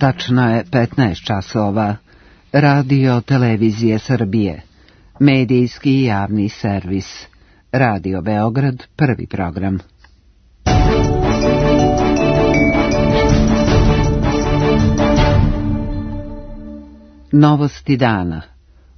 Tačno je 15 časova. Radio Televizije Srbije. Medijski i javni servis. Radio Beograd, prvi program. Novosti dana.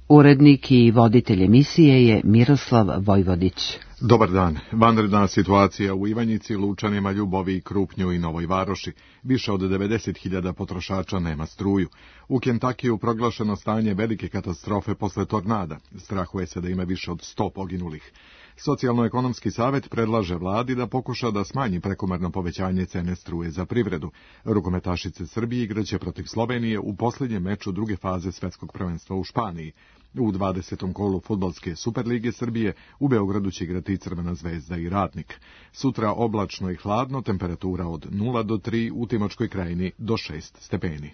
Urednik i voditelj emisije je Miroslav Vojvodić. Dobar dan. Vanredna situacija u Ivanjici, Lučanima, Ljubovi, Krupnju i Novoj Varoši. Više od 90.000 potrošača nema struju. U Kentakiju proglašeno stanje velike katastrofe posle tornada. Strahuje se da ima više od 100 poginulih. Socijalno-ekonomski savjet predlaže vladi da pokuša da smanji prekomerno povećanje cene struje za privredu. Rukometašice Srbije igraće protiv Slovenije u posljednjem meču druge faze svetskog prvenstva u Španiji. U 20. kolu fudbalske Superlige Srbije u Beogradu će igrati Crvena zvezda i Radnik. Sutra oblačno i hladno, temperatura od 0 do 3, u Timočkoj krajini do 6 stepeni.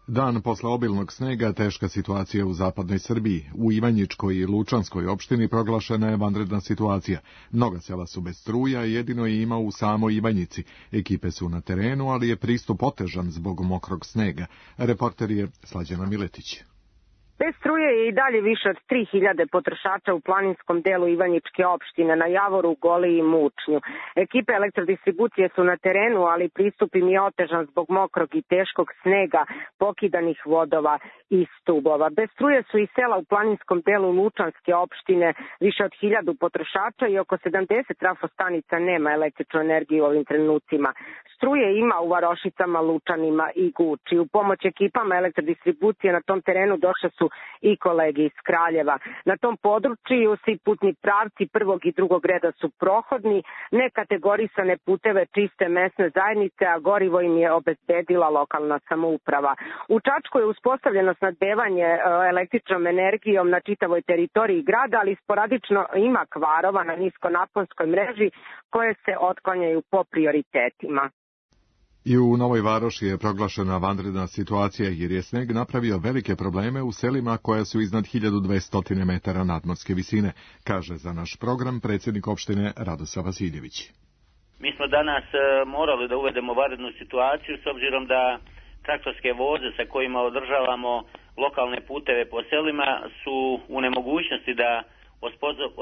Dan posle obilnog snega, teška situacija u zapadnoj Srbiji. U Ivanjičkoj i Lučanskoj opštini proglašena je vanredna situacija. Mnoga sela su bez struja, jedino je ima u samoj Ivanjici. Ekipe su na terenu, ali je pristup otežan zbog mokrog snega. Reporter je Slađana Miletić. Bez struje je i dalje više od 3000 potrošača u planinskom delu Ivanjičke opštine na Javoru, Goli i Mučnju. Ekipe elektrodistribucije su na terenu, ali pristup im je otežan zbog mokrog i teškog snega, pokidanih vodova i stubova. Bez struje su i sela u planinskom delu Lučanske opštine, više od 1000 potrošača i oko 70 trafostanica nema električnu energiju u ovim trenucima. Struje ima u Varošicama, Lučanima i Guči. U pomoć ekipama elektrodistribucije na tom terenu došle su i kolege iz Kraljeva. Na tom području svi putni pravci prvog i drugog reda su prohodni, nekategorisane puteve čiste mesne zajednice, a gorivo im je obezbedila lokalna samouprava. U Čačku je uspostavljeno snabdevanje električnom energijom na čitavoj teritoriji grada, ali sporadično ima kvarova na niskonaponskoj mreži koje se otklanjaju po prioritetima. I u Novoj Varoši je proglašena vanredna situacija jer je sneg napravio velike probleme u selima koja su iznad 1200 metara nadmorske visine, kaže za naš program predsjednik opštine Radosa Vasiljević. Mi smo danas morali da uvedemo vanrednu situaciju s obzirom da traktorske voze sa kojima održavamo lokalne puteve po selima su u nemogućnosti da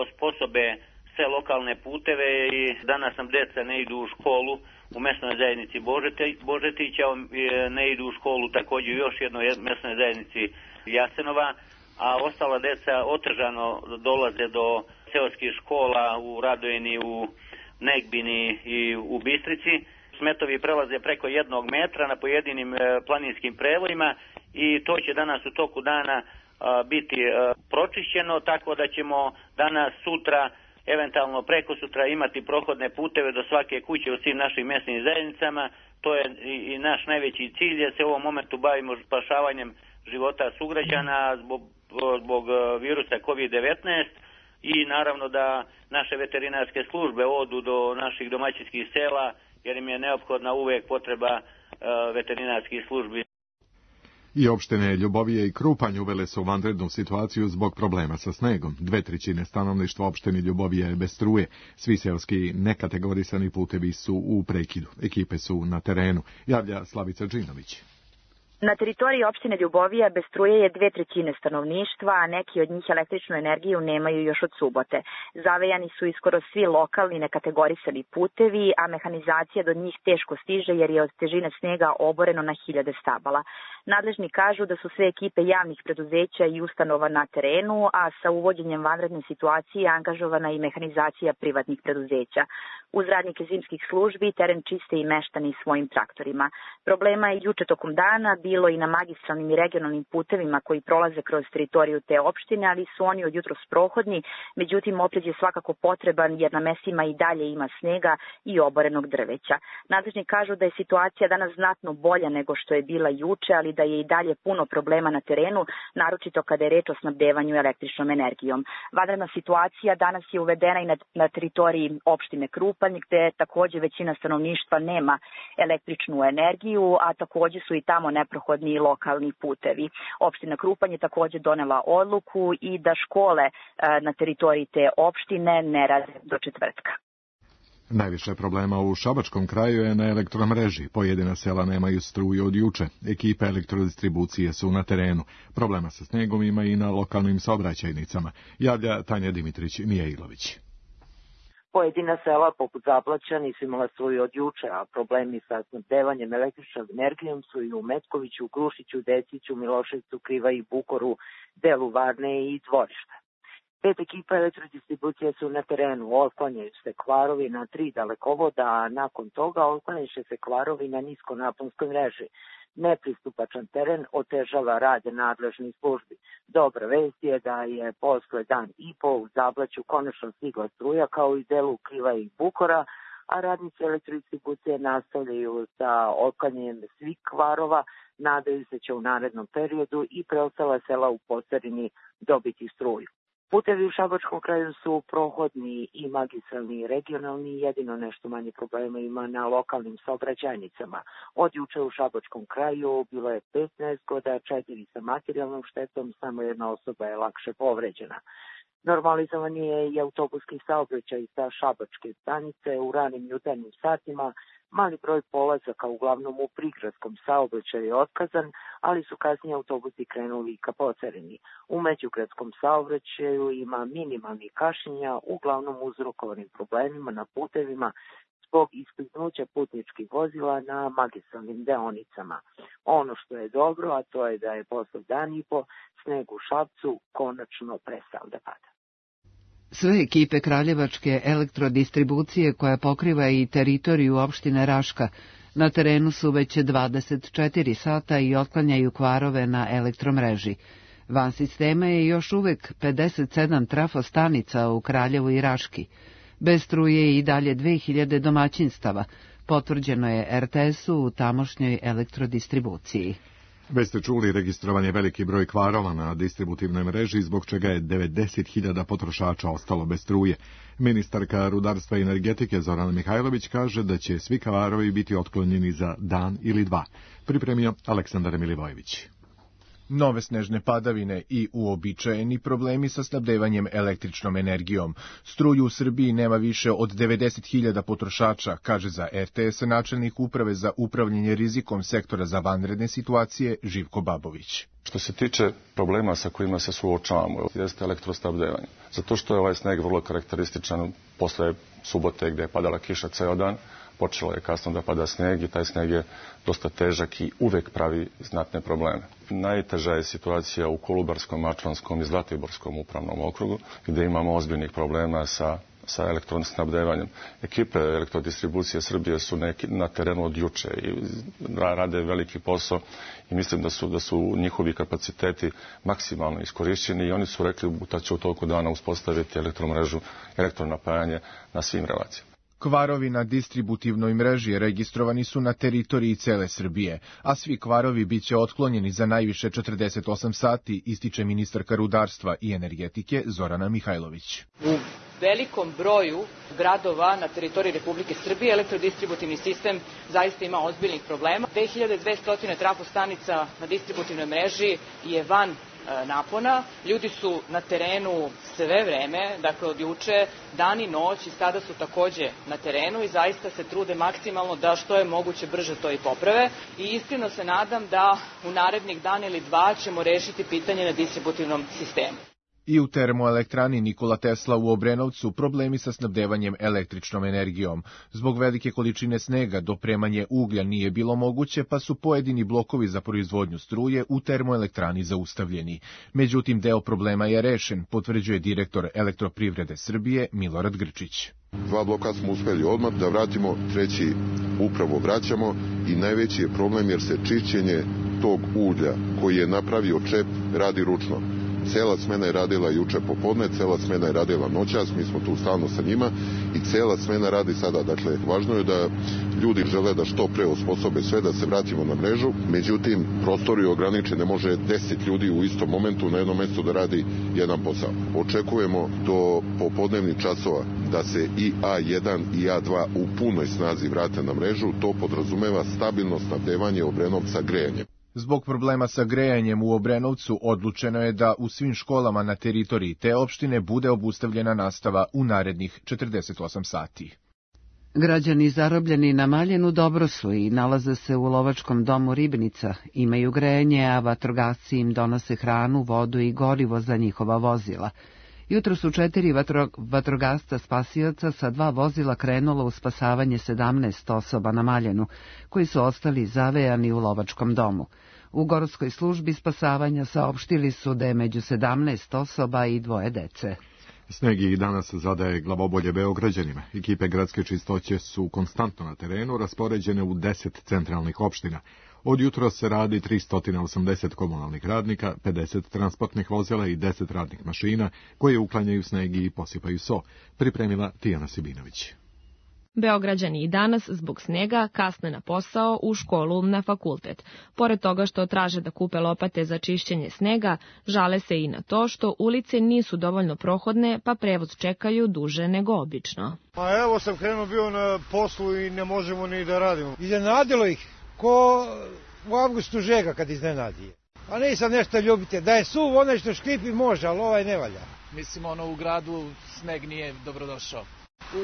osposobe sve lokalne puteve i danas nam deca ne idu u školu u mesnoj zajednici Božetića, ne idu u školu također u još jednoj mesnoj zajednici Jasenova, a ostala deca otežano dolaze do seoskih škola u Radojini, u Negbini i u Bistrici. Smetovi prelaze preko 1 metra na pojedinim planinskim prevojima i to će danas u toku dana biti pročišćeno, tako da ćemo danas, sutra, eventualno preko sutra imati prohodne puteve do svake kuće u svim našim mjesnim zajednicama. To je i naš najveći cilj, jer se u ovom momentu bavimo spašavanjem života sugrađana zbog virusa COVID-19 i naravno da naše veterinarske službe odu do naših domaćinskih sela, jer im je neophodna uvijek potreba veterinarskih službi. I opštine Ljubovije i Krupanj uvele su vanrednu situaciju zbog problema sa snegom. 2/3 stanovništva opštine Ljubovije je bez struje. Svi seoski nekategorisani putevi su u prekidu. Ekipe su na terenu, javlja Slavica Džinović. Na teritoriji opštine Ljubovija bez struje je 2/3 stanovništva, a neki od njih električnu energiju nemaju još od subote. Zavejani su iskoro svi lokalni nekategorisani putevi, a mehanizacija do njih teško stiže jer je od težine snega oboreno na 1000 stabala. Nadležni kažu da su sve ekipe javnih preduzeća i ustanova na terenu, a sa uvođenjem vanredne situacije angažovana i mehanizacija privatnih preduzeća. Uz radnike zimskih službi teren čiste i meštani svojim traktorima. Problema je juče tokom dana bilo i na magistralnim i regionalnim putevima koji prolaze kroz teritoriju te opštine, ali su oni od jutros prohodni, međutim oprez je svakako potreban jer na mestima i dalje ima snega i oborenog drveća. Nadležni kažu da je situacija danas znatno bolja nego što je bila juče, ali da je i dalje puno problema na terenu, naročito kada je reč o snabdevanju električnom energijom. Vanredna situacija danas je uvedena i na teritoriji opštine Krupanj, gde takođe većina stanovništva nema električnu energiju, a takođe su i tamo neprohodni i lokalni putevi. Opština Krupanj je takođe donela odluku i da škole na teritoriji te opštine ne rade do četvrtka. Najviše problema u Šabačkom kraju je na elektromreži. Pojedina sela nemaju struju od juče. Ekipe elektrodistribucije su na terenu. Problema sa snegom ima i na lokalnim saobraćajnicama. Javlja Tanja Dimitrić-Mijailović. Pojedina sela poput Zablaća nisu imala struju od juče, a problemi sa snabdevanjem električnom energijom su i u Metkoviću, Grušiću, Deciću, Miloševcu, Krivaji, Bukoru, delu Varne i Dvorišta. 5 ekipa elektrodistribucije su na terenu, otklanjaju se kvarovi na 3 dalekovoda, a nakon toga otklanjaju se kvarovi na niskonaponskoj mreži. Nepristupačan teren otežava rad nadležnih službi. Dobra vest je da je posle dan i po u Zablaću konačno stigla struja kao i delu Kriva i Bukora, a radnici elektrodistribucije nastavljaju sa otklanjanjem svih kvarova, nadaju se će u narednom periodu i preostala sela u Postarini dobiti struju. Putevi u Šabačkom kraju su prohodni i magistralni i regionalni, jedino nešto manje problema ima na lokalnim saobraćajnicama. Od juče u Šabačkom kraju bilo je 15 nezgoda, 4 sa materijalnom štetom, samo jedna osoba je lakše povređena. Normalizovan je i autobuski saobraćaj sa Šabačke stanice u ranim jutarnjim satima. Mali broj polazaka, uglavnom u prigradskom saobraćaju, je otkazan, ali su kasnije autobusi krenuli ka Pocarini. U međugradskom saobraćaju ima minimalnih kašnjenja, uglavnom uzrokovanim problemima na putevima zbog iskliznuća putničkih vozila na magistralnim deonicama. Ono što je dobro, a to je da je posle dan i po sneg u Šapcu konačno prestao da pada. Sve ekipe Kraljevačke elektrodistribucije, koja pokriva i teritoriju opštine Raška, na terenu su već 24 sata i otklanjaju kvarove na elektromreži. Van sistema je još uvek 57 trafostanica u Kraljevu i Raški. Bez struje i dalje 2000 domaćinstava, potvrđeno je RTS-u u tamošnjoj elektrodistribuciji. Već ste čuli, registrovan je veliki broj kvarova na distributivnoj mreži, zbog čega je 90.000 potrošača ostalo bez struje. Ministarka rudarstva i energetike Zorana Mihajlović kaže da će svi kvarovi biti otklonjeni za dan ili dva. Pripremio Aleksandar Milivojević. Nove snežne padavine i uobičajeni problemi sa snabdevanjem električnom energijom. Struju u Srbiji nema više od 90.000 potrošača, kaže za RTS načelnik uprave za upravljanje rizikom sektora za vanredne situacije Živko Babović. Što se tiče problema sa kojima se suočavamo, jeste elektrosnabdevanje. Zato što je ovaj sneg vrlo karakterističan posle subote gde je padala kiša ceo dan, počelo je kasno da pada sneg i taj sneg je dosta težak i uvek pravi znatne probleme. Najteža je situacija u Kolubarskom, Mačvanskom i Zlatiborskom upravnom okrugu, gde imamo ozbiljnih problema sa elektrosnabdevanjem. Ekipe elektrodistribucije Srbije su na terenu od juče i rade veliki posao i mislim da su njihovi kapaciteti maksimalno iskorišćeni i oni su rekli da će u toku dana uspostaviti elektromrežu, elektronapajanje na svim relacijama. Kvarovi na distributivnoj mreži registrovani su na teritoriji cele Srbije, a svi kvarovi biće otklonjeni za najviše 48 sati, ističe ministarka rudarstva i energetike Zorana Mihajlović. U velikom broju gradova na teritoriji Republike Srbije elektrodistributivni sistem zaista ima ozbiljnih problema. 2200 trafostanica na distributivnoj mreži je van napona. Ljudi su na terenu sve vreme, dakle od juče, dan i noć i sada su takođe na terenu i zaista se trude maksimalno da što je moguće brže to i poprave i iskreno se nadam da u narednih dan ili dva ćemo rešiti pitanje na distributivnom sistemu. I u termoelektrani Nikola Tesla u Obrenovcu problemi sa snabdevanjem električnom energijom. Zbog velike količine snega dopremanje uglja nije bilo moguće, pa su pojedini blokovi za proizvodnju struje u termoelektrani zaustavljeni. Međutim, deo problema je rešen, potvrđuje direktor Elektroprivrede Srbije Milorad Grčić. 2 bloka smo uspeli odmah da vratimo, 3. upravo vraćamo i najveći je problem jer se čišćenje tog ulja koji je napravio čep radi ručno. Cela smena je radila juče popodne, cela smena je radila noćas, mi smo tu stalno sa njima i cela smena radi sada. Dakle, važno je da ljudi žele da što pre osposobe sve da se vratimo na mrežu, međutim, prostor je ograničen, ne može 10 ljudi u istom momentu na jednom mestu da radi jedan posao. Očekujemo do popodnevnih časova da se i A1 i A2 u punoj snazi vrate na mrežu, to podrazumeva stabilno snabdevanje Obrenovca grejanjem. Zbog problema sa grejanjem u Obrenovcu odlučeno je da u svim školama na teritoriji te opštine bude obustavljena nastava u narednih 48 sati. Građani zarobljeni na Maljenu dobro su i nalaze se u lovačkom domu Ribnica, imaju grejanje, a vatrogasci im donose hranu, vodu i gorivo za njihova vozila. Jutro su 4 vatrogasca spasioca sa 2 vozila krenulo u spasavanje 17 osoba na Maljenu, koji su ostali zavejani u lovačkom domu. U gorskoj službi spasavanja saopštili su da je među 17 osoba i 2 dece. Sneg i danas zadaje glavobolje Beograđanima. Ekipe gradske čistoće su konstantno na terenu, raspoređene u 10 centralnih opština. Od jutra se radi 380 komunalnih radnika, 50 transportnih vozila i 10 radnih mašina koje uklanjaju sneg i posipaju so, pripremila Tijana Sibinović. Beograđani i danas zbog snega kasne na posao, u školu, na fakultet. Pored toga što traže da kupe lopate za čišćenje snega, žale se i na to što ulice nisu dovoljno prohodne, pa prevoz čekaju duže nego obično. Pa evo sam krenuo bio na poslu i ne možemo ni da radimo. Iznenadilo ih, ko u avgustu žega kad iznenadi. A nisam nešto ljubite, da je suv onaj što škripi može, ali ovaj ne valja. Mislim, u gradu sneg nije dobrodošao.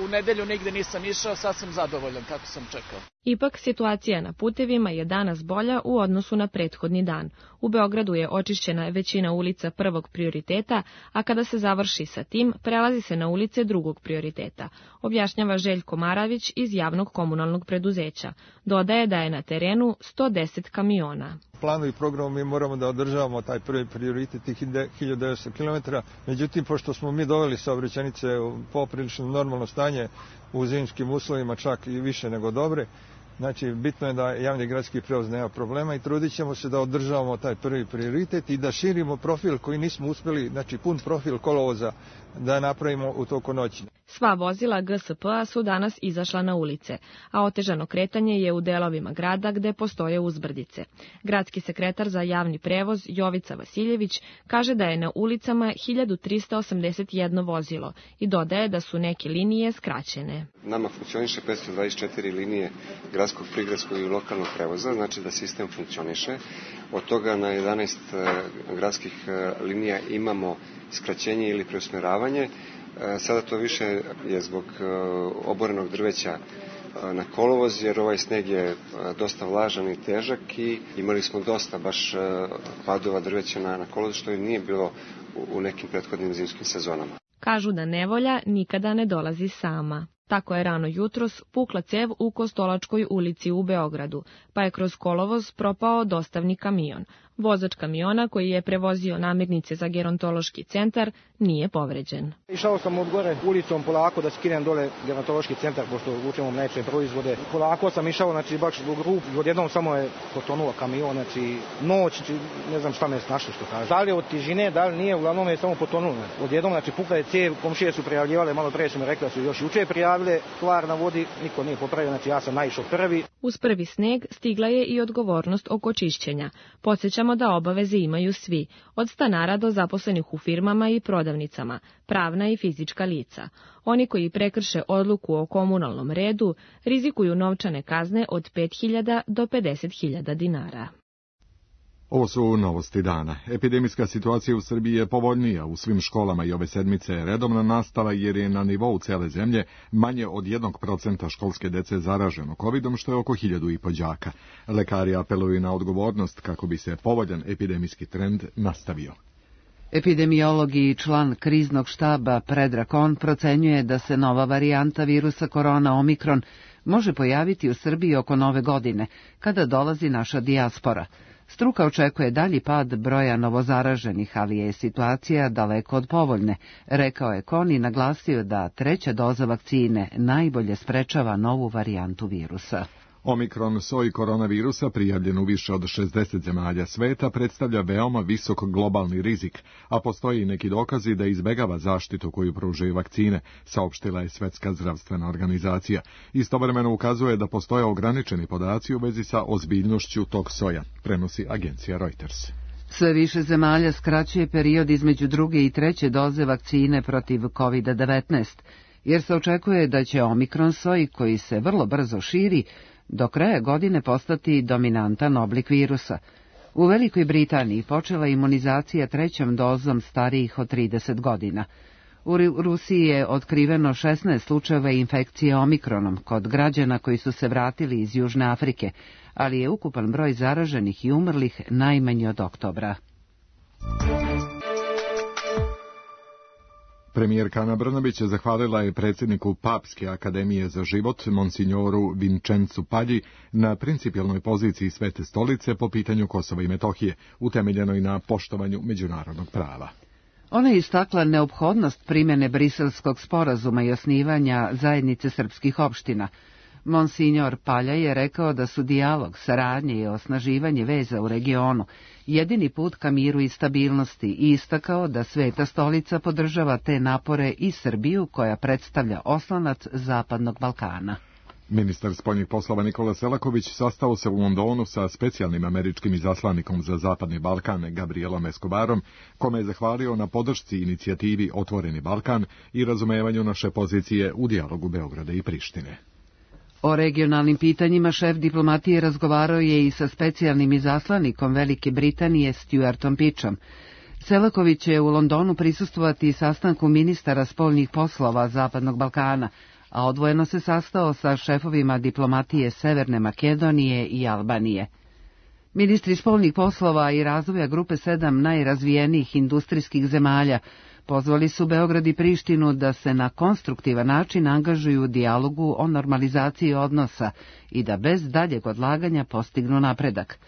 U nedelju nigde nisam išao, sad sam zadovoljan kako sam čekao. Ipak, situacija na putevima je danas bolja u odnosu na prethodni dan. U Beogradu je očišćena većina ulica prvog prioriteta, a kada se završi sa tim, prelazi se na ulice drugog prioriteta, objašnjava Željko Maravić iz javnog komunalnog preduzeća. Dodaje da je na terenu 110 kamiona. Planu i programu mi moramo da održavamo taj prvi prioritet, tih 1900 km. Međutim, pošto smo mi doveli saobraćajnice u poprilično normalno stanje u zimskim uslovima, čak i više nego dobre, znači bitno je da javni gradski prevoz nema problema i trudit ćemo se da održavamo taj prvi prioritet i da širimo profil koji nismo uspjeli, znači pun profil kolovoza da napravimo u toku noći. Sva vozila GSP-a su danas izašla na ulice, a otežano kretanje je u delovima grada gde postoje uzbrdice. Gradski sekretar za javni prevoz Jovica Vasiljević kaže da je na ulicama 1381 vozilo i dodaje da su neke linije skraćene. Nama funkcioniše 524 linije gradskog, prigradskog i lokalnog prevoza, znači da sistem funkcioniše. Od toga na 11 gradskih linija imamo skraćenje ili preusmeravanje. Sada to više je zbog oborenog drveća na kolovoz, jer ovaj sneg je dosta vlažan i težak i imali smo dosta baš padova drveća na kolovoz, što i nije bilo u nekim prethodnim zimskim sezonama. Kažu da nevolja nikada ne dolazi sama. Tako je rano jutros pukla cev u Kostolačkoj ulici u Beogradu, pa je kroz kolovoz propao dostavni kamion. Vozač kamiona koji je prevozio namirnice za gerontološki centar nije povređen. Išao sam od gore ulicom polako da skinem dole gerontološki centar, pošto vučemo mlečne proizvode. Polako sam išao, znači baš zbog rup, odjednom samo je potonuo kamion, znači noć, ne znam šta me snašlo što kaže. Da li od tižine, da li nije, uglavnom je samo potonuo. Odjednom, znači pukla je cev, komšije su prijavljivale, malo pre su mi rekli da su još juče prijavile stvar na vodi, niko nije popravio, znači ja sam naišao prvi. Uz prvi sneg stigla je i odgovornost oko čišćenja. Podsjećamo da obaveze imaju svi, od stanara do zaposlenih u firmama i prodavnicama, pravna i fizička lica. Oni koji prekrše odluku o komunalnom redu rizikuju novčane kazne od 5.000 do 50.000 dinara. Ovo su novosti dana. Epidemijska situacija u Srbiji je povoljnija. U svim školama i ove sedmice je redovna nastava jer je na nivou cele zemlje manje od 1% školske dece zaraženo covidom, što je oko 1.500 đaka. Lekari apeluju na odgovornost kako bi se povoljan epidemijski trend nastavio. Epidemiolog i član kriznog štaba Predrag Kon procenjuje da se nova varijanta virusa korona Omikron može pojaviti u Srbiji oko Nove godine, kada dolazi naša dijaspora. Struka očekuje dalji pad broja novozaraženih, ali je situacija daleko od povoljne, rekao je Kon i naglasio da 3. doza vakcine najbolje sprečava novu varijantu virusa. Omikron soj koronavirusa, prijavljen u više od 60 zemalja sveta, predstavlja veoma visok globalni rizik, a postoji i neki dokazi da izbegava zaštitu koju pružaju vakcine, saopštila je Svetska zdravstvena organizacija. Istovremeno ukazuje da postoje ograničeni podaci u vezi sa ozbiljnošću tog soja, prenosi agencija Reuters. Sve više zemalja skraćuje period između 2. i 3. doze vakcine protiv COVID-19, jer se očekuje da će Omikron soj, koji se vrlo brzo širi, do kraja godine postati dominantan oblik virusa. U Velikoj Britaniji počela imunizacija 3. dozom starijih od 30 godina. U Rusiji je otkriveno 16 slučajeva infekcije omikronom kod građana koji su se vratili iz Južne Afrike, ali je ukupan broj zaraženih i umrlih najmanji od oktobra. Premijerka Ana Brnabić zahvalila je predsjedniku Papske akademije za život, monsignoru Vincenzu Pagli, na principijelnoj poziciji Svete stolice po pitanju Kosova i Metohije, utemeljenoj na poštovanju međunarodnog prava. Ona je istakla neophodnost primjene Briselskog sporazuma i osnivanja zajednice srpskih opština. Monsignor Palja je rekao da su dijalog, saradnje i osnaživanje veza u regionu jedini put ka miru i stabilnosti i istakao da Sveta stolica podržava te napore i Srbiju koja predstavlja oslonac Zapadnog Balkana. Ministar spoljnih poslova Nikola Selaković sastao se u Londonu sa specijalnim američkim izaslanikom za Zapadni Balkan Gabrielom Escobarom, kome je zahvalio na podršci inicijativi Otvoreni Balkan i razumevanju naše pozicije u dijalogu Beograda i Prištine. O regionalnim pitanjima šef diplomatije razgovarao je i sa specijalnim izaslanikom Velike Britanije Stuartom Pitchom. Selaković će u Londonu prisustvovati sastanku ministara spoljnih poslova Zapadnog Balkana, a odvojeno se sastao sa šefovima diplomatije Severne Makedonije i Albanije. Ministri spoljnih poslova i razvoja grupe 7 najrazvijenijih industrijskih zemalja pozvali su Beograd i Prištinu da se na konstruktivan način angažuju u dijalogu o normalizaciji odnosa i da bez daljeg odlaganja postignu napredak.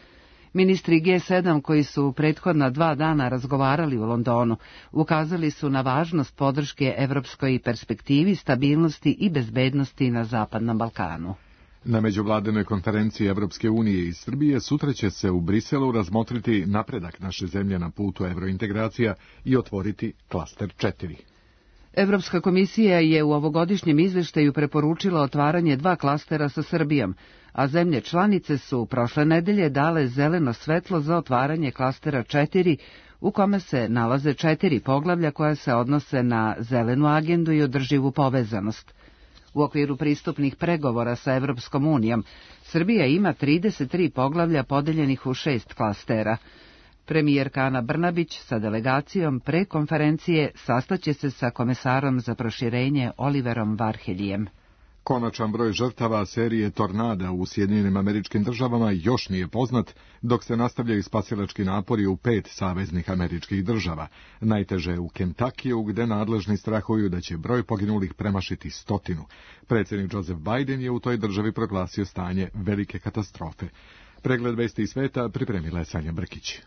Ministri G7 koji su prethodna 2 dana razgovarali u Londonu ukazali su na važnost podrške evropskoj perspektivi, stabilnosti i bezbednosti na Zapadnom Balkanu. Na međuvladinoj konferenciji Evropske unije i Srbije sutra će se u Briselu razmotriti napredak naše zemlje na putu evrointegracija i otvoriti klaster 4. Evropska komisija je u ovogodišnjem izveštaju preporučila otvaranje 2 klastera sa Srbijom, a zemlje članice su prošle nedelje dale zeleno svetlo za otvaranje klastera 4, u kome se nalaze 4 poglavlja koja se odnose na zelenu agendu i održivu povezanost. U okviru pristupnih pregovora sa Evropskom unijom, Srbija ima 33 poglavlja podeljenih u 6 klastera. Premijerka Ana Brnabić sa delegacijom pre konferencije sastaće se sa komesarom za proširenje Oliverom Varheljijem. Konačan broj žrtava serije tornada u Sjedinjenim Američkim Državama još nije poznat, dok se nastavljaju spasilački napori u 5 saveznih američkih država. Najteže u Kentakiju, gde nadležni strahuju da će broj poginulih premašiti 100. Predsjednik Joseph Biden je u toj državi proglasio stanje velike katastrofe. Pregled vesti iz sveta pripremila je Sanja Brkić.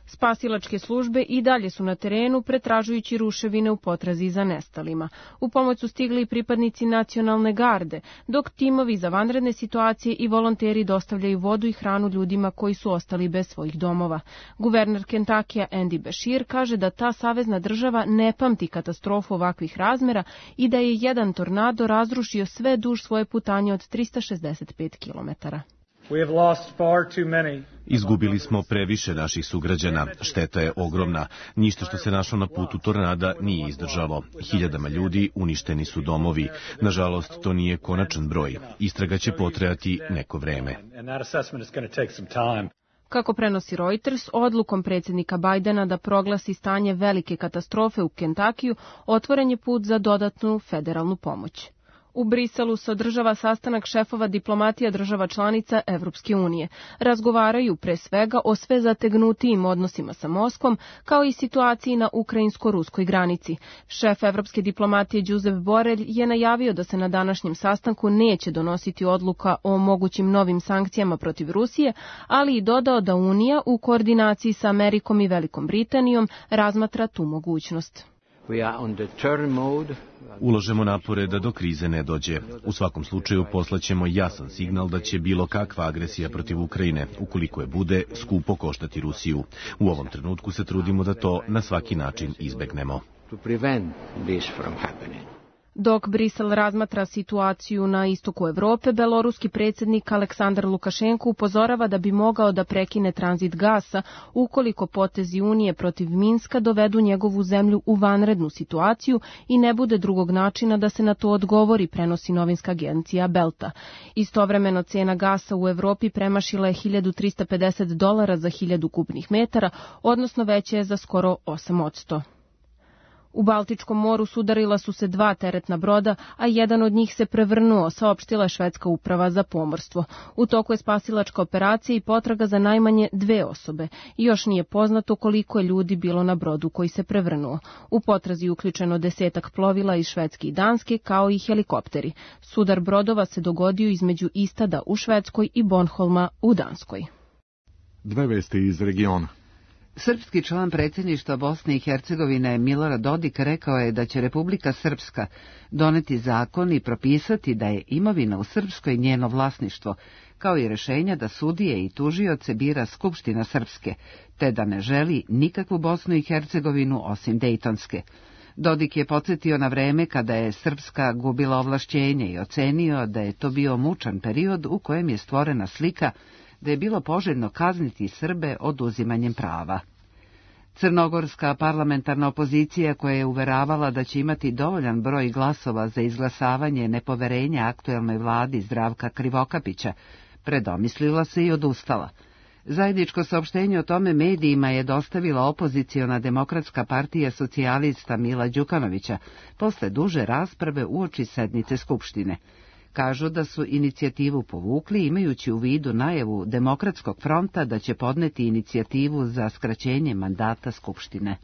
Spasilačke službe i dalje su na terenu pretražujući ruševine u potrazi za nestalima. U pomoć su stigli i pripadnici nacionalne garde, dok timovi za vanredne situacije i volonteri dostavljaju vodu i hranu ljudima koji su ostali bez svojih domova. Guverner Kentakija Andy Beshear kaže da ta savezna država ne pamti katastrofu ovakvih razmera i da je jedan tornado razrušio sve duž svoje putanje od 365 kilometara. Izgubili smo previše naših sugrađana, šteta je ogromna. Ništa što se našlo na putu tornada nije izdržalo. Hiljadama ljudi uništeni su domovi. Nažalost, to nije konačan broj. Istraga će potrajati neko vreme. Kako prenosi Reuters, odlukom predsjednika Bajdena da proglasi stanje velike katastrofe u Kentakiju, otvoren je put za dodatnu federalnu pomoć. U Briselu se održava sastanak šefova diplomatija država članica Evropske unije. Razgovaraju pre svega o sve zategnutijim odnosima sa Moskvom, kao i situaciji na ukrajinsko-ruskoj granici. Šef evropske diplomatije Josep Borrell je najavio da se na današnjem sastanku neće donositi odluka o mogućim novim sankcijama protiv Rusije, ali i dodao da Unija u koordinaciji sa Amerikom i Velikom Britanijom razmatra tu mogućnost. Ulažemo napore da do krize ne dođe. U svakom slučaju poslaćemo jasan signal da će bilo kakva agresija protiv Ukrajine, ukoliko je bude, skupo koštati Rusiju. U ovom trenutku se trudimo da to na svaki način izbegnemo. Dok Brisel razmatra situaciju na istoku Evrope, beloruski predsjednik Aleksandar Lukašenko upozorava da bi mogao da prekine tranzit gasa ukoliko potezi Unije protiv Minska dovedu njegovu zemlju u vanrednu situaciju i ne bude drugog načina da se na to odgovori, prenosi novinska agencija Belta. Istovremeno cena gasa u Evropi premašila je $1.350 za 1000 kubnih metara, odnosno veća je za skoro 8%. U Baltičkom moru sudarila su se 2 teretna broda, a jedan od njih se prevrnuo, saopštila je švedska uprava za pomorstvo. U toku je spasilačka operacija i potraga za najmanje 2 osobe. I još nije poznato koliko je ljudi bilo na brodu koji se prevrnuo. U potrazi uključeno 10 plovila iz Švedske i Danske, kao i helikopteri. Sudar brodova se dogodio između Istada u Švedskoj i Bornholma u Danskoj. 2 vesti iz regiona. Srpski član predsjedništva Bosne i Hercegovine Milorad Dodik rekao je da će Republika Srpska doneti zakon i propisati da je imovina u Srpskoj njeno vlasništvo, kao i rješenja da sudije i tužioce bira Skupština Srpske, te da ne želi nikakvu Bosnu i Hercegovinu osim Dejtonske. Dodik je podsjetio na vreme kada je Srpska gubila ovlašćenje i ocenio da je to bio mučan period u kojem je stvorena slika da je bilo poželjno kazniti Srbe oduzimanjem prava. Crnogorska parlamentarna opozicija, koja je uveravala da će imati dovoljan broj glasova za izglasavanje nepoverenja aktuelnoj vladi Zdravka Krivokapića, predomislila se i odustala. Zajedničko saopštenje o tome medijima je dostavila opoziciona Demokratska partija socijalista Mila Đukanovića posle duže rasprave uoči sednice Skupštine. Kažu da su inicijativu povukli imajući u vidu najavu Demokratskog fronta da će podneti inicijativu za skraćenje mandata Skupštine.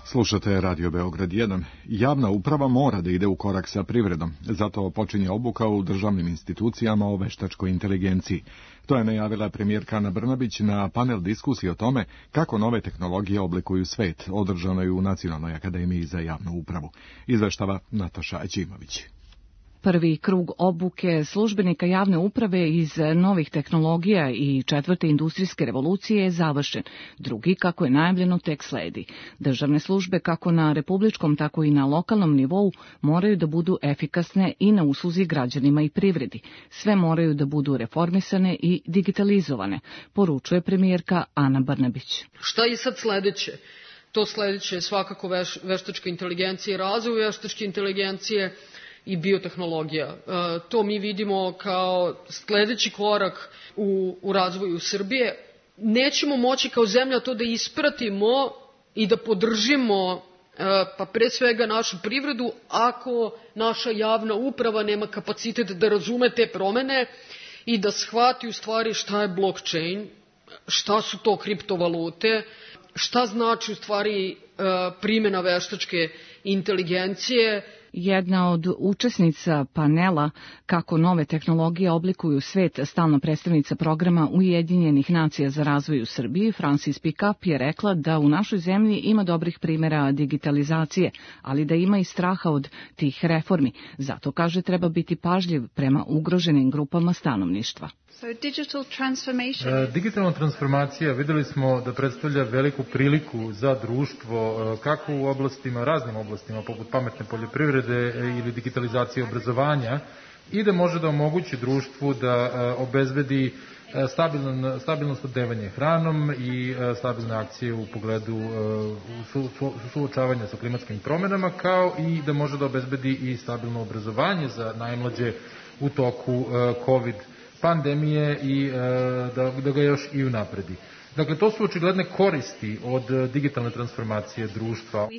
Slušate Radio Beograd 1. Javna uprava mora da ide u korak sa privredom, zato počinje obuka u državnim institucijama o veštačkoj inteligenciji. To je najavila premijerka Ana Brnabić na panel diskusije o tome kako nove tehnologije oblikuju svet, održanoj u Nacionalnoj akademiji za javnu upravu. Izveštava Nataša Ćimović. Prvi krug obuke službenika javne uprave iz novih tehnologija i 4. industrijske revolucije je završen. Drugi, kako je najavljeno, tek sledi. Državne službe, kako na republičkom, tako i na lokalnom nivou, moraju da budu efikasne i na usluzi građanima i privredi. Sve moraju da budu reformisane i digitalizovane, poručuje premijerka Ana Brnabić. Šta je sad sledeće? To sledeće je svakako veštačka inteligencija i razvoj veštačke inteligencije i biotehnologija. To mi vidimo kao sledeći korak u razvoju Srbije. Nećemo moći kao zemlja to da ispratimo i da podržimo, pa pre svega našu privredu, ako naša javna uprava nema kapacitet da razume te promene i da shvati u stvari šta je blockchain, šta su to kriptovalute, šta znači u stvari primjena veštačke inteligencije. Jedna od učesnica panela kako nove tehnologije oblikuju svet, stalna predstavnica programa Ujedinjenih nacija za razvoj u Srbiji, Francis Pickup, je rekla da u našoj zemlji ima dobrih primjera digitalizacije, ali da ima i straha od tih reformi. Zato, kaže, treba biti pažljiv prema ugroženim grupama stanovništva. Digitalna transformacija videli smo da predstavlja veliku priliku za društvo, kako u raznim oblastima, poput pametne poljoprivrede ili digitalizacije obrazovanja, i da može da omogući društvu da obezbedi stabilno snabdevanje hranom i stabilne akcije u pogledu suočavanja sa klimatskim promjenama, kao i da može da obezbedi i stabilno obrazovanje za najmlađe u toku COVID pandemije i da ga još i unapredi. Dakle, to su očigledne koristi od digitalne transformacije društva.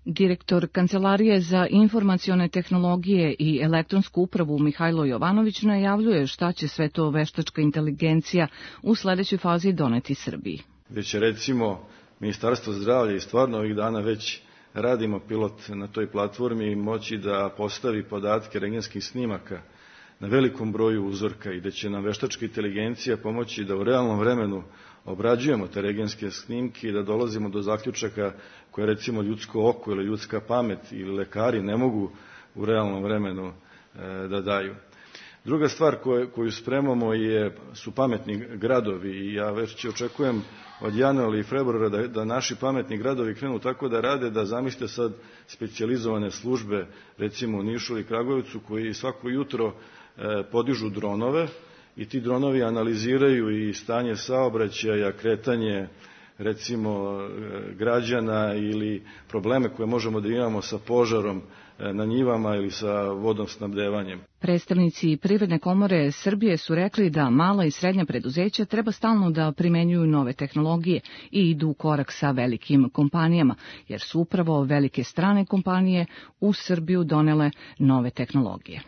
Direktor Kancelarije za informacione tehnologije i elektronsku upravu Mihajlo Jovanović najavljuje šta će sve to veštačka inteligencija u sledećoj fazi doneti Srbiji. Već recimo Ministarstvo zdravlja i stvarno ovih dana već radimo pilot na toj platformi, moći da postavi podatke rentgenskih snimaka na velikom broju uzorka i da će nam veštačka inteligencija pomoći da u realnom vremenu obrađujemo te rentgenske snimke i da dolazimo do zaključaka koje recimo ljudsko oko ili ljudska pamet ili lekari ne mogu u realnom vremenu da daju. Druga stvar koju spremamo su pametni gradovi i ja već očekujem od januara i februara da naši pametni gradovi krenu tako da rade, da zamislite sad specijalizovane službe recimo u Nišu ili Kragujevcu koji svako jutro podižu dronove i ti dronovi analiziraju i stanje saobraćaja, kretanje recimo građana ili probleme koje možemo da imamo sa požarom na njivama ili sa vodosnabdevanjem. Predstavnici Privredne komore Srbije su rekli da mala i srednja preduzeća treba stalno da primenjuju nove tehnologije i idu u korak sa velikim kompanijama, jer su upravo velike strane kompanije u Srbiju donele nove tehnologije.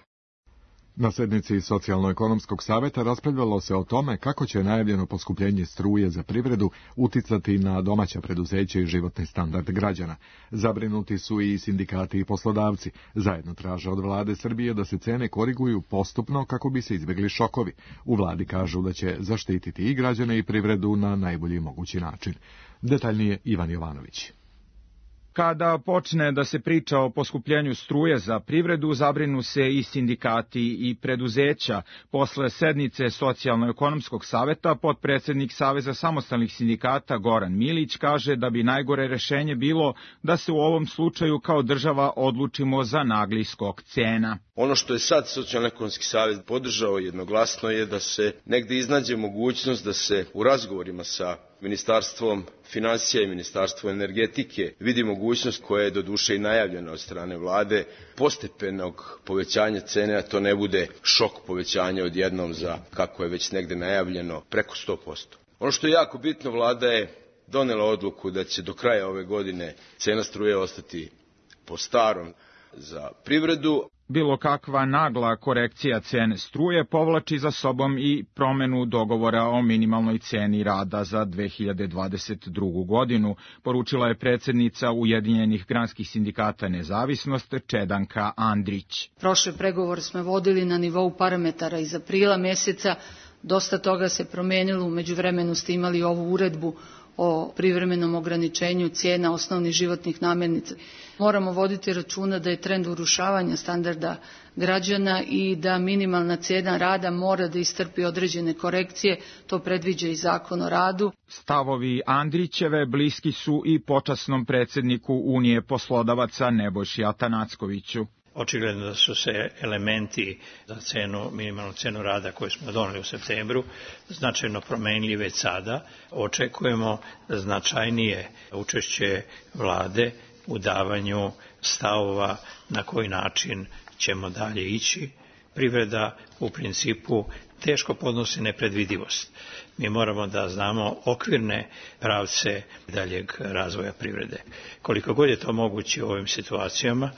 Na sednici Socijalno-ekonomskog saveta raspravljalo se o tome kako će najavljeno poskupljenje struje za privredu uticati na domaća preduzeća i životni standard građana. Zabrinuti su i sindikati i poslodavci. Zajedno traže od vlade Srbije da se cene koriguju postupno kako bi se izbjegli šokovi. U vladi kažu da će zaštititi i građane i privredu na najbolji mogući način. Detaljnije Ivan Jovanović. Kada počne da se priča o poskupljenju struje za privredu, zabrinu se i sindikati i preduzeća. Posle sednice Socijalno-ekonomskog saveta, potpredsednik Saveza samostalnih sindikata Goran Milić kaže da bi najgore rešenje bilo da se u ovom slučaju kao država odlučimo za nagli skok cena. Ono što je sad Socijalno-ekonomski savez podržao jednoglasno je da se negde iznađe mogućnost da se u razgovorima sa Ministarstvom finansija i Ministarstvom energetike vidi mogućnost koja je doduše i najavljena od strane vlade postepenog povećanja cene, a to ne bude šok povećanja odjednom za, kako je već negde najavljeno, preko 100%. Ono što je jako bitno, vlada je donela odluku da će do kraja ove godine cena struje ostati po starom za privredu. Bilo kakva nagla korekcija cene struje povlači za sobom i promenu dogovora o minimalnoj ceni rada za 2022. godinu, poručila je predsednica Ujedinjenih granskih sindikata Nezavisnost Čedanka Andrić. Prošle pregovore smo vodili na nivou parametara iz aprila meseca, dosta toga se promenilo, u međuvremenu ste imali ovu uredbu o privremenom ograničenju cijena osnovnih životnih namirnica. Moramo voditi računa da je trend urušavanja standarda građana i da minimalna cena rada mora da istrpi određene korekcije, to predviđa i Zakon o radu. Stavovi Andrićeve bliski su i počasnom predsedniku Unije poslodavaca Nebojši Atanackoviću. Očigledno da su se elementi za minimalnu cenu rada koju smo doneli u septembru značajno promenili već sada. Očekujemo značajnije učešće vlade u davanju stavova na koji način ćemo dalje ići. Privreda u principu teško podnosi nepredvidivost. Mi moramo da znamo okvirne pravce daljeg razvoja privrede. Koliko god je to moguće u ovim situacijama,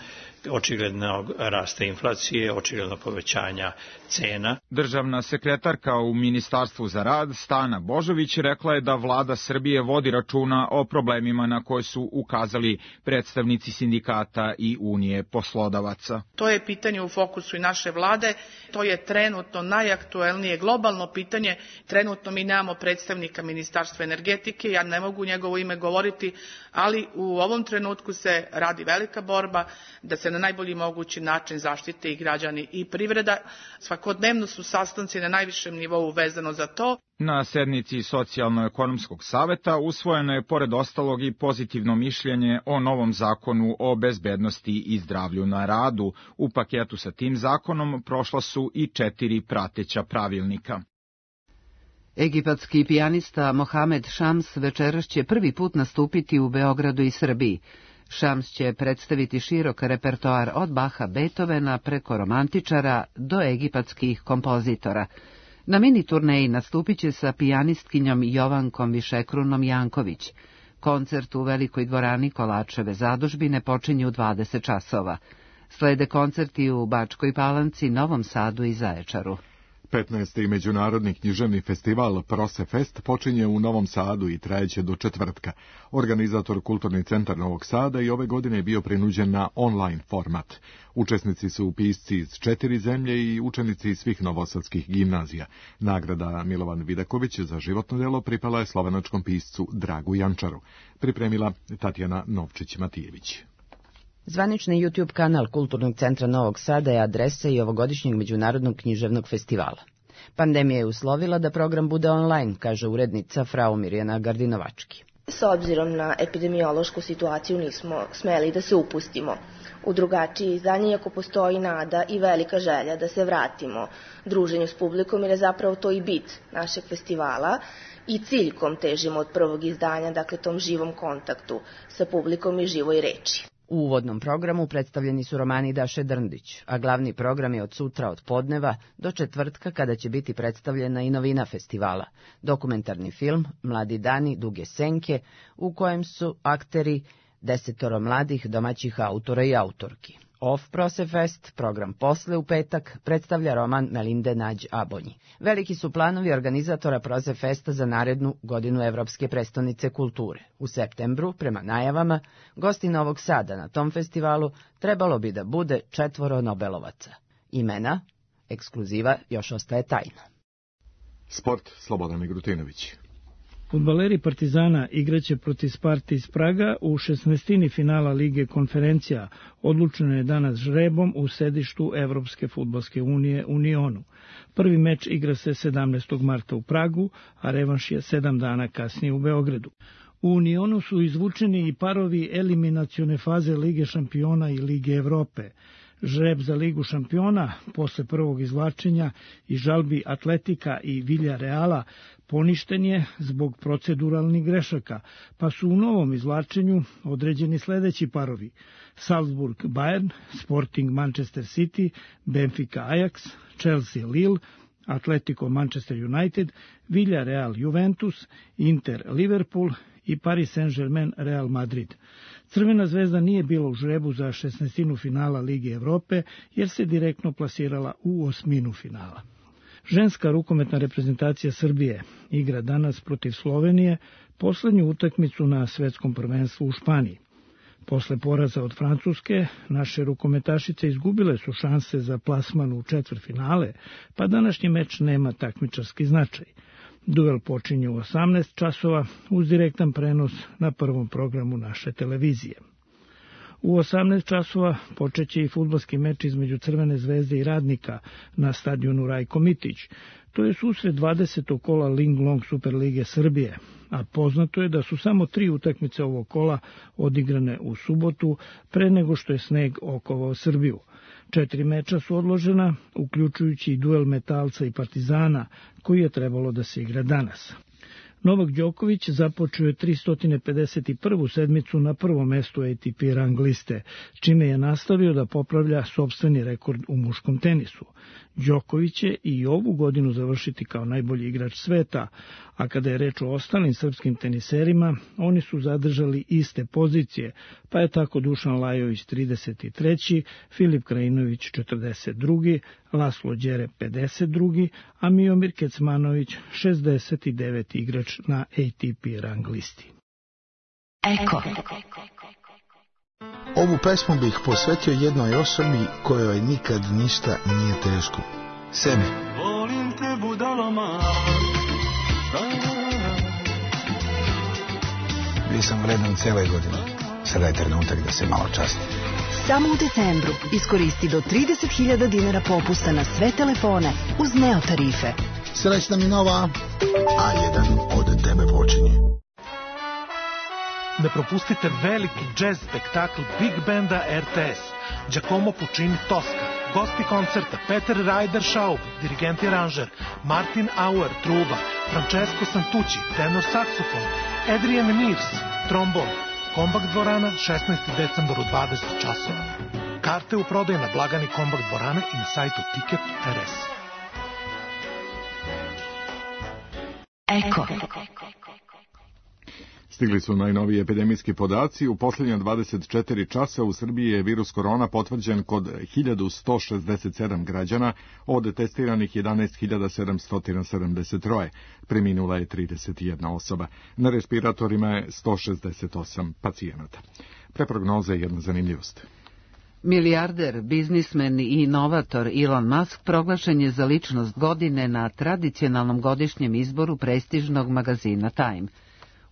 očigledno rasta inflacije, očigledno povećanja cena. Državna sekretarka u Ministarstvu za rad, Stana Božović, rekla je da vlada Srbije vodi računa o problemima na koje su ukazali predstavnici sindikata i Unije poslodavaca. To je pitanje u fokusu i naše vlade, to je trenutno najaktuelnije globalno pitanje. Trenutno mi nemamo predstavnika Ministarstva energetike, ja ne mogu njegovo ime govoriti, ali u ovom trenutku se radi velika borba da se na najbolji mogući način zaštite i građani i privreda. Svakodnevno su sastanci na najvišem nivou vezano za to. Na sednici Socijalno-ekonomskog saveta usvojeno je pored ostalog i pozitivno mišljenje o novom zakonu o bezbednosti i zdravlju na radu. U paketu sa tim zakonom prošla su i 4 prateća pravilnika. Egipatski pijanista Mohamed Šams večeras će prvi put nastupiti u Beogradu i Srbiji. Šams će predstaviti širok repertoar od Baha, Beethovena preko romantičara do egipatskih kompozitora. Na mini turneji nastupit će sa pijanistkinjom Jovankom Višekrunom Janković. Koncert u Velikoj dvorani Kolačeve zadužbine počinje u 20 časova. Slede koncerti u Bačkoj Palanci, Novom Sadu i Zaječaru. 15. međunarodni književni festival Prosefest počinje u Novom Sadu i trajeće do četvrtka. Organizator Kulturni centar Novog Sada i ove godine je bio prinuđen na online format. Učesnici su pisci iz 4 zemlje i učenici iz svih novosadskih gimnazija. Nagrada Milovan Vidaković za životno delo pripala je slovenačkom piscu Dragu Jančaru. Pripremila Tatjana Novčić-Matijević. Zvanični YouTube kanal Kulturnog centra Novog Sada je adresa i ovogodišnjeg međunarodnog književnog festivala. Pandemija je uslovila da program bude online, kaže urednica frau Mirjana Gardinovački. S obzirom na epidemiološku situaciju nismo smeli da se upustimo u drugačije izdanje, iako postoji nada i velika želja da se vratimo druženju s publikom, jer je zapravo to i bit našeg festivala. i ciljkom težimo od prvog izdanja, dakle tom živom kontaktu sa publikom i živoj reči. U uvodnom programu predstavljeni su romani Daše Drndić, a glavni program je od sutra od podneva do četvrtka kada će biti predstavljena i novina festivala, dokumentarni film Mladi dani, duge senke, u kojem su akteri 10 mladih domaćih autora i autorki. Off Prosefest, program posle u petak, predstavlja roman Melinde Nađ Abonji. Veliki su planovi organizatora Prosefesta za narednu godinu Evropske prestonice kulture. U septembru, prema najavama, gosti Novog Sada na tom festivalu trebalo bi da bude 4 Nobelovaca. Imena, ekskluziva još ostaje tajna. Sport, Slobodan Migrutinović. Fudbaleri Partizana igraće protiv Sparte iz Praga u 16. finala Lige konferencija. Odlučeno je danas žrebom u sedištu Evropske fudbalske unije Unionu. Prvi meč igra se 17. marta u Pragu, a revanš je 7 dana kasnije u Beogradu. U Unionu su izvučeni i parovi eliminacione faze Lige šampiona i Lige Evrope. Žreb za Ligu šampiona, posle prvog izvlačenja i žalbi Atletika i Villarreala, poništen je zbog proceduralnih grešaka, pa su u novom izvlačenju određeni sledeći parovi: Salzburg Bayern, Sporting Manchester City, Benfica Ajax, Chelsea Lille, Atletico Manchester United, Villarreal Juventus, Inter Liverpool i Paris Saint-Germain Real Madrid. Crvena zvezda nije bila u žrebu za 16. finala Lige Evrope, jer se direktno plasirala u 8. finala. Ženska rukometna reprezentacija Srbije igra danas protiv Slovenije poslednju utakmicu na svetskom prvenstvu u Španiji. Posle poraza od Francuske, naše rukometašice izgubile su šanse za plasman u četvrtfinale, pa današnji meč nema takmičarski značaj. Duel počinje u 18 časova uz direktan prenos na prvom programu naše televizije. U 18 časova počeće i fudbalski meč između Crvene zvezde i Radnika na stadionu Rajko Mitić. To je susret 20. kola Linglong Superlige Srbije, a poznato je da su samo 3 utakmice ovog kola odigrane u subotu pre nego što je sneg okovao Srbiju. 4 meča su odložena, uključujući i duel Metalca i Partizana, koji je trebalo da se igra danas. Novak Đoković započeo je 351. sedmicu na prvom mestu ATP rang liste, čime je nastavio da popravlja sopstveni rekord u muškom tenisu. Đoković će i ovu godinu završiti kao najbolji igrač sveta, a kada je reč o ostalim srpskim teniserima, oni su zadržali iste pozicije, pa je tako Dušan Lajović 33., Filip Krajinović 42., Laslo Đere 52., a Miomir Kecmanović 69. igrač na ATP rang listi. Eko. Ovu pesmu bih posvetio jednoj osobi kojoj nikad ništa nije teško. Sebi. Volim te budaloma. Bio sam vredan cele godine. Sada je trenutak da se malo časti. Samo u decembru iskoristi do 30.000 dinara popusta na sve telefone uz Neo tarife. Srećna mi nova, A1 od tebe počinje. Ne propustite veliki džez spektakl Big Banda RTS, Giacomo Puccini Tosca, gosti koncerta Peter Ryder Schaub, dirigent i aranžer, Martin Auer, truba, Francesco Santucci, tenor saksofon, Adrian Mears, trombon, Kombakt dvorana, 16. decembar u 20 časova. Karte u prodaju na blagani Kombakt dvorane i na sajtu Ticket.rs. Eko. Stigli su najnoviji epidemijski podaci. U posljednja 24 časa u Srbiji je virus korona potvrđen kod 1167 građana, od testiranih 11.773. Preminula je 31 osoba. Na respiratorima je 168 pacijenata. Pre prognoze jedna zanimljivost. Milijarder, biznismen i inovator Elon Musk proglašen je za ličnost godine na tradicionalnom godišnjem izboru prestižnog magazina Time.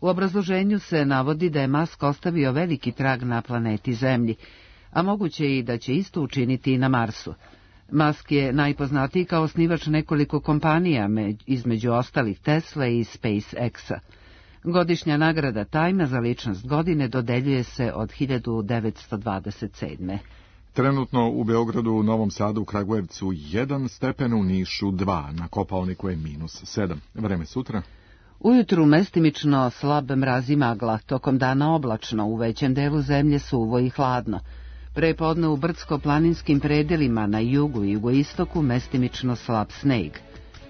U obrazloženju se navodi da je Musk ostavio veliki trag na planeti Zemlji, a moguće i da će isto učiniti i na Marsu. Musk je najpoznatiji kao osnivač nekoliko kompanija, između ostalih Tesla i SpaceX-a. Godišnja nagrada Time za ličnost godine dodeljuje se od 1927. Trenutno u Beogradu, u Novom Sadu, u Kragujevcu 1 stepen, u Nišu 2, na Kopaoniku je -7. Vreme sutra. Ujutru mestimično slab mraz i magla, tokom dana oblačno, u većem delu zemlje suvo i hladno. Prepodne u brdsko-planinskim predelima na jugu i jugoistoku mestimično slab sneg.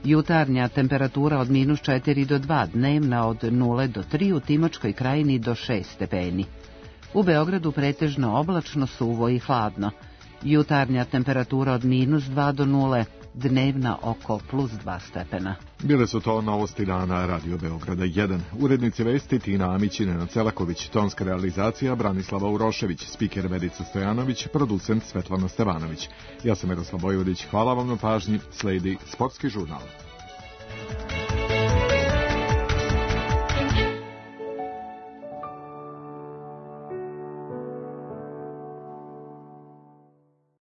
Jutarnja temperatura od -4 do 2, dnevna od 0 do 3, u Timočkoj krajini do 6 stepeni. U Beogradu pretežno oblačno, suvo i hladno. Jutarnja temperatura od -2 do 0, dnevna oko +2 stepena. Bile su to novosti dana Radio Beograda 1. Urednici vesti Tina Amić i Nenad Celaković, tonska realizacija Branislava Urošević, spiker Verica Stojanović, producent Svetlana Stevanović. Ja sam Miroslav Vojvodić, hvala vam na pažnji, sledi Sportski žurnal.